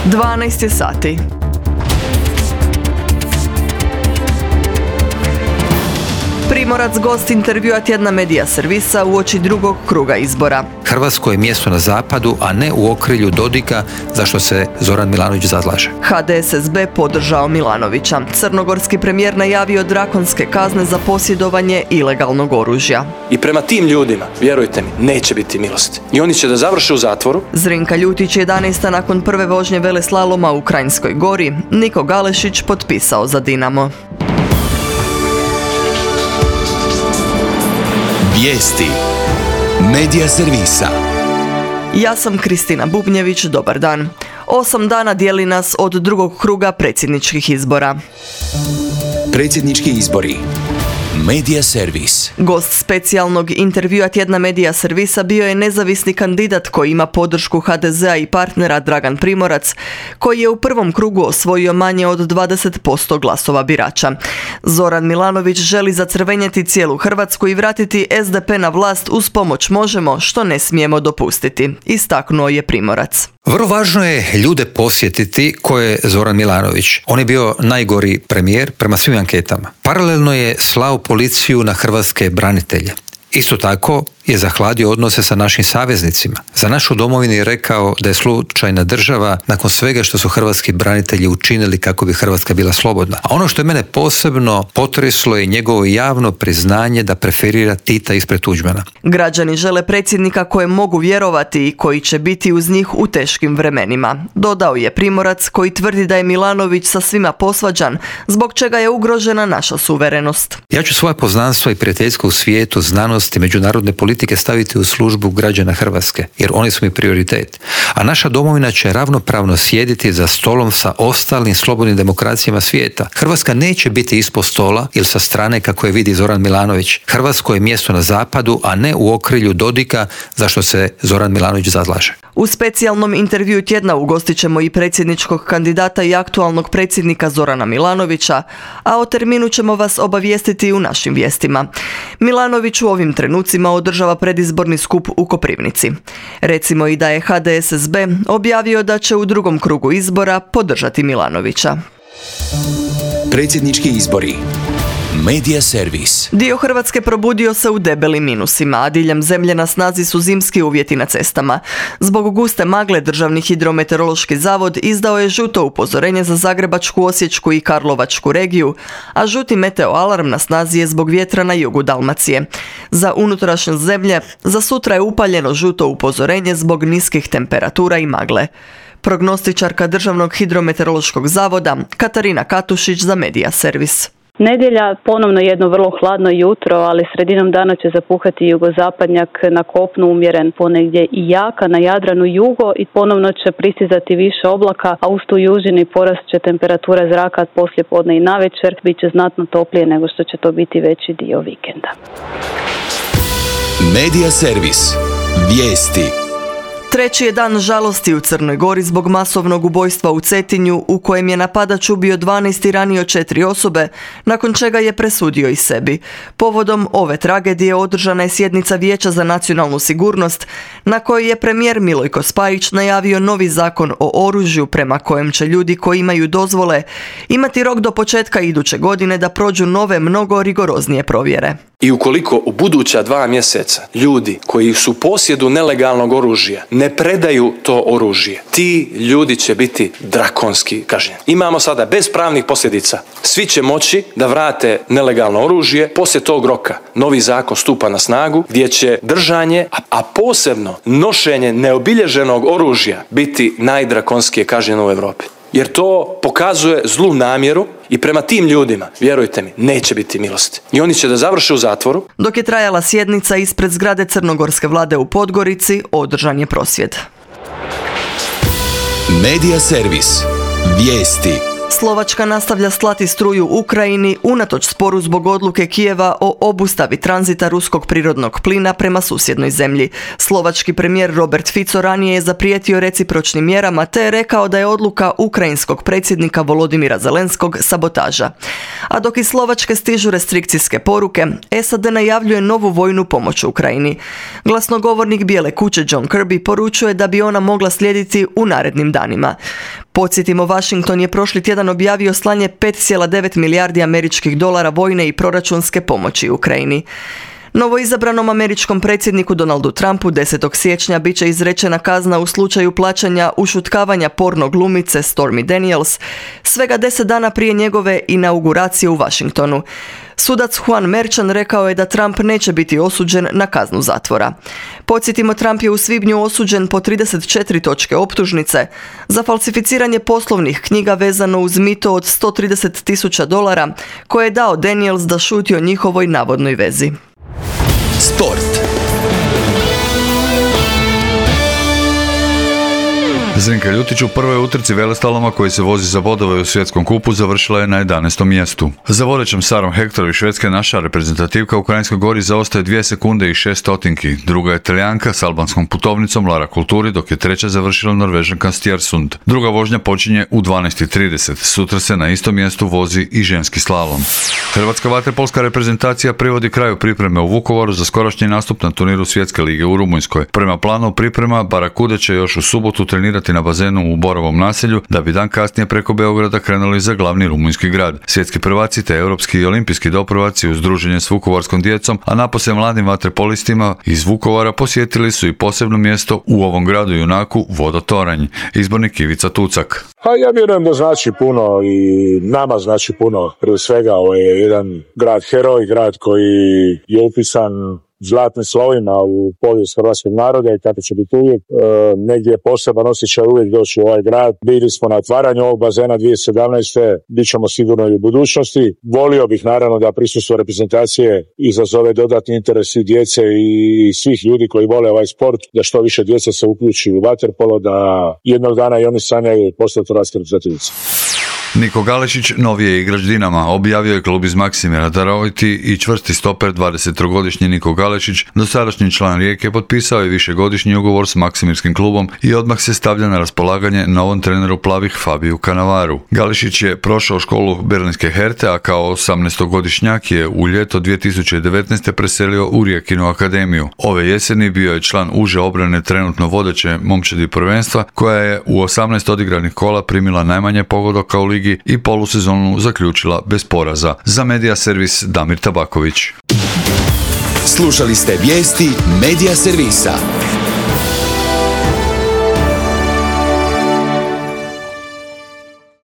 12 je sati. Primorac gost intervjua tjedna Medija servisa uoči drugog kruga izbora. Hrvatsko je mjesto na zapadu, a ne u okrilju Dodika, za što se Zoran Milanović zalaže. HDSSB podržao Milanovića. Crnogorski premijer najavio drakonske kazne za posjedovanje ilegalnog oružja. I prema tim ljudima, vjerujte mi, neće biti milosti. I oni će da završe u zatvoru. Zrinka Ljutić 11. nakon prve vožnje veleslaloma u Kranjskoj Gori. Niko Galešić potpisao za Dinamo. Vijesti Medija servisa. Ja sam Kristina Bubnjević, dobar dan. 8 dana dijeli nas od drugog kruga predsjedničkih izbora. Predsjednički izbori. Medija servis. Gost specijalnog intervjua tjedna Medija servisa bio je nezavisni kandidat koji ima podršku HDZ-a i partnera Dragan Primorac, koji je u prvom krugu osvojio manje od 20% glasova birača. Zoran Milanović želi zacrvenjeti cijelu Hrvatsku i vratiti SDP na vlast uz pomoć Možemo, što ne smijemo dopustiti, istaknuo je Primorac. Vrlo važno je ljude posjetiti ko je Zoran Milanović. On je bio najgori premijer prema svim anketama. Paralelno je slao policiju na hrvatske branitelje. Isto tako je zahladio odnose sa našim saveznicima. Za našu domovinu je rekao da je slučajna država nakon svega što su hrvatski branitelji učinili kako bi Hrvatska bila slobodna. A ono što je mene posebno potreslo je njegovo javno priznanje da preferira Tita ispred Tuđmana. Građani žele predsjednika kojem mogu vjerovati i koji će biti uz njih u teškim vremenima. Dodao je Primorac, koji tvrdi da je Milanović sa svima posvađan, zbog čega je ugrožena naša suverenost. Ja ću svoje poznanstvo i prijateljstvo u svijetu, znanosti, međunarodne politike staviti u službu građana Hrvatske, jer oni su mi prioritet. A naša domovina će ravnopravno sjediti za stolom sa ostalim slobodnim demokracijama svijeta. Hrvatska neće biti ispod stola ili sa strane kako je vidi Zoran Milanović. Hrvatsko je mjesto na zapadu, a ne u okrilju Dodika, za što se Zoran Milanović zalaže. U specijalnom intervjuu tjedna ugostit ćemo i predsjedničkog kandidata i aktualnog predsjednika Zorana Milanovića, a o terminu ćemo vas obavijestiti u našim vijestima. Milanović u ovim trenucima održava predizborni skup u Koprivnici. Recimo i da je HDSSB objavio da će u drugom krugu izbora podržati Milanovića. Predsjednički izbori. Medija servis. Dio Hrvatske probudio se u debelim minusima, a diljem zemlje na snazi su zimski uvjeti na cestama. Zbog guste magle Državni hidrometeorološki zavod izdao je žuto upozorenje za Zagrebačku, Osječku i Karlovačku regiju, a žuti meteoalarm na snazi je zbog vjetra na jugu Dalmacije. Za unutrašnjost zemlje za sutra je upaljeno žuto upozorenje zbog niskih temperatura i magle. Prognostičarka Državnog hidrometeorološkog zavoda Katarina Katušić za Medija servis. Nedjelja ponovno jedno vrlo hladno jutro, ali sredinom dana će zapuhati jugozapadnjak, na kopnu umjeren ponegdje i jaka, na Jadranu jugo i ponovno će pristizati više oblaka, a uz tu južini porast će temperatura zraka poslije podne i navečer, bit će znatno toplije nego što će to biti veći dio vikenda. Medija servis. Vijesti. Treći je dan žalosti u Crnoj Gori zbog masovnog ubojstva u Cetinju, u kojem je napadač ubio 12 i ranio 4 osobe, nakon čega je presudio i sebi. Povodom ove tragedije održana je sjednica Vijeća za nacionalnu sigurnost, na kojoj je premijer Milojko Spajić najavio novi zakon o oružju prema kojem će ljudi koji imaju dozvole imati rok do početka iduće godine da prođu nove, mnogo rigoroznije provjere. I ukoliko u buduća 2 mjeseca ljudi koji su u posjedu nelegalnog oružja ne predaju to oružje, ti ljudi će biti drakonski kažnjeni. Imamo sada bez pravnih posljedica. Svi će moći da vrate nelegalno oružje. Poslije tog roka novi zakon stupa na snagu gdje će držanje, a posebno nošenje neobilježenog oružja biti najdrakonskije kažnjeno u Europi. Jer to pokazuje zlu namjeru i prema tim ljudima, vjerujte mi, neće biti milosti. I oni će da završe u zatvoru. Dok je trajala sjednica ispred zgrade crnogorske vlade u Podgorici, održan je prosvjed. Medija servis. Vijesti. Slovačka nastavlja slati struju Ukrajini unatoč sporu zbog odluke Kijeva o obustavi tranzita ruskog prirodnog plina prema susjednoj zemlji. Slovački premijer Robert Fico ranije je zaprijetio recipročnim mjerama te je rekao da je odluka ukrajinskog predsjednika Volodimira Zelenskog sabotaža. A dok iz Slovačke stižu restrikcijske poruke, SAD najavljuje novu vojnu pomoć Ukrajini. Glasnogovornik Bijele kuće John Kirby poručuje da bi ona mogla slijediti u narednim danima. Podsjetimo, Washington je prošli tjedan objavio slanje 5,9 milijardi američkih dolara vojne i proračunske pomoći Ukrajini. Novoizabranom američkom predsjedniku Donaldu Trumpu 10. siječnja bit će izrečena kazna u slučaju plaćanja ušutkavanja porno glumice Stormy Daniels svega 10 dana prije njegove inauguracije u Washingtonu. Sudac Juan Merchan rekao je da Trump neće biti osuđen na kaznu zatvora. Podsjetimo, Trump je u svibnju osuđen po 34 točke optužnice za falsificiranje poslovnih knjiga vezano uz mito od $130,000 koje je dao Daniels da šuti o njihovoj navodnoj vezi. Sport. Zrinka Ljutić u prvoj utrci veleslaloma koji se vozi za bodove u svjetskom kupu završila je na 11. mjestu. Za vodećom Sarom Hector iz Švedske naša reprezentativka u Kranjskoj Gori zaostaje 2 sekunde i 6 stotinki. Druga je Talijanka s albanskom putovnicom Lara Kulturi, dok je treća završila Norvežanka Stjersund. Druga vožnja počinje u 12:30. Sutra se na istom mjestu vozi i ženski slalom. Hrvatska vaterpolska reprezentacija privodi kraju pripreme u Vukovaru za skorašnji nastup na turniru Svjetske lige u Rumunjskoj. Prema planu priprema Barakude će još u subotu trenirati na bazenu u Borovom naselju, da bi dan kasnije preko Beograda krenuli za glavni rumunjski grad. Svjetski prvaci te europski i olimpijski doprvaci uz druženje s vukovarskom djecom, a napose mladim vaterpolistima iz Vukovara posjetili su i posebno mjesto u ovom gradu junaku Vodotoranj. Izbornik Ivica Tucak. Ja vjerujem da znači puno i nama znači puno. Prije svega ovo je jedan grad heroj, grad koji je upisan zlatnim slovima u povijest hrvatskog naroda i tako će biti uvijek. Negdje je poseban osjećaj uvijek doći u ovaj grad. Bili smo na otvaranju ovog bazena 2017. Bit ćemo sigurno i u budućnosti. Volio bih naravno da prisustvo reprezentacije izazove dodatni interes i djece i svih ljudi koji vole ovaj sport, da što više djece se uključi u vaterpolo, da jednog dana i oni sanjaju postati hrvatski reprezentativici. Niko Galešić, novi je igrač Dinama, objavio je klub iz Maksimira. Daroviti i čvrsti stoper 23-godišnji Niko Galešić, dosadašnji član Rijeke, potpisao je višegodišnji ugovor s Maksimirskim klubom i odmah se stavlja na raspolaganje novom treneru plavih Fabiju Cannavaru. Galešić je prošao školu berlinske Herte, a kao 18-godišnjak je u ljeto 2019. preselio u Rijekinu akademiju. Ove jeseni bio je član uže obrane trenutno vodeće momčadi prvenstva, koja je u 18 odigranih kola primila najmanje pogodaka u ligi i polusezonu zaključila bez poraza. Za Medija Servis Damir Tabaković. Slušali ste vijesti Medija Servisa.